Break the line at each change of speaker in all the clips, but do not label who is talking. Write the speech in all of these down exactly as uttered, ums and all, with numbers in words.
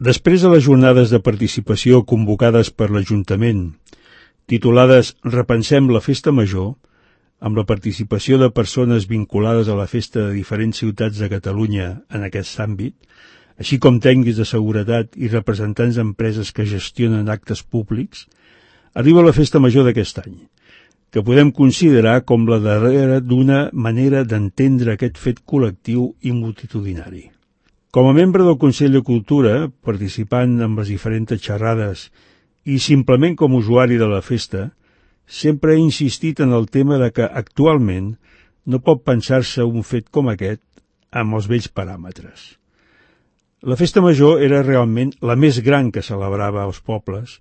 Després de les jornades de participació convocades per l'Ajuntament, titulades Repensem la Festa Major, amb la participació de persones vinculades a la festa de diferents ciutats de Catalunya en aquest àmbit, així com tècnics de seguretat i representants d'empreses que gestionen actes públics, arriba la Festa Major d'aquest any, que podem considerar com la darrera d'una manera d'entendre aquest fet col·lectiu i multitudinari. Com a membre del Consell de Cultura, participant en les diferents xerrades i simplement com a usuari de la festa, sempre he insistit en el tema de que actualment no pot pensar-se un fet com aquest amb els vells paràmetres. La Festa Major era realment la més gran que celebrava als pobles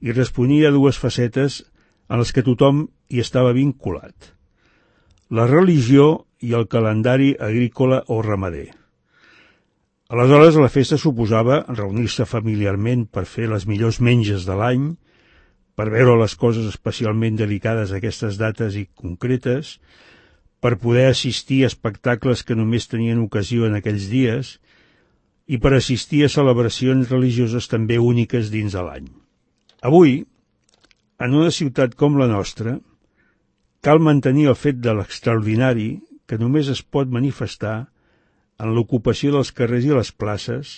i responia a dues facetes en les que tothom hi estava vinculat: la religió i el calendari agrícola o ramader. Aleshores, la festa suposava reunir-se familiarment per fer les millors menges de l'any, per veure les coses especialment delicades a aquestes dates i concretes, per poder assistir a espectacles que només tenien ocasió en aquells dies i per assistir a celebracions religioses també úniques dins de l'any. Avui, en una ciutat com la nostra, cal mantenir el fet de l'extraordinari que només es pot manifestar en l'ocupació dels carrers i les places,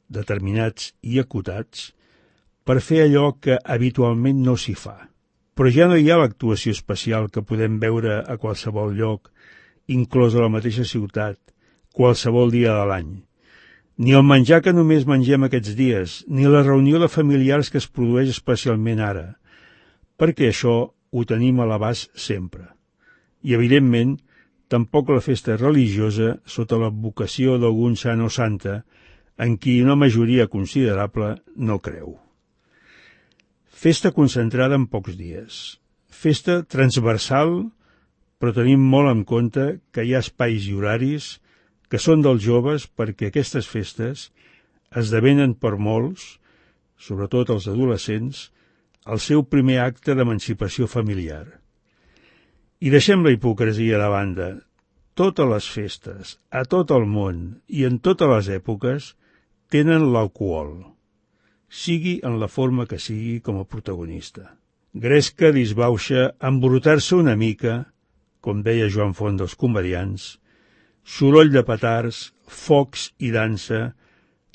determinats i acotats, per fer allò que habitualment no s'hi fa. Però ja no hi ha l'actuació especial que podem veure a qualsevol lloc, inclòs a la mateixa ciutat, qualsevol dia de l'any. Ni el menjar que només mengem aquests dies, ni la reunió de familiars que es produeix especialment ara, perquè això ho tenim a l'abast sempre. I, evidentment, tampoc la festa religiosa sota l'advocació d'algun sant o santa en qui una majoria considerable no creu. Festa concentrada en pocs dies. Festa transversal, però tenim molt en compte que hi ha espais i horaris que són dels joves perquè aquestes festes esdevenen per molts, sobretot els adolescents, el seu primer acte d'emancipació familiar. I deixem la hipocresia de banda. Totes les festes, a tot el món i en totes les èpoques, tenen l'alcohol, sigui en la forma que sigui com a protagonista. Gresca, disbauxa, embrutar-se una mica, com deia Joan Font dels comediants, soroll de petards, focs i dansa,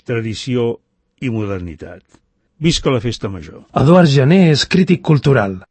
tradició i modernitat. Visca la Festa Major.
Eduard Jané és crític cultural.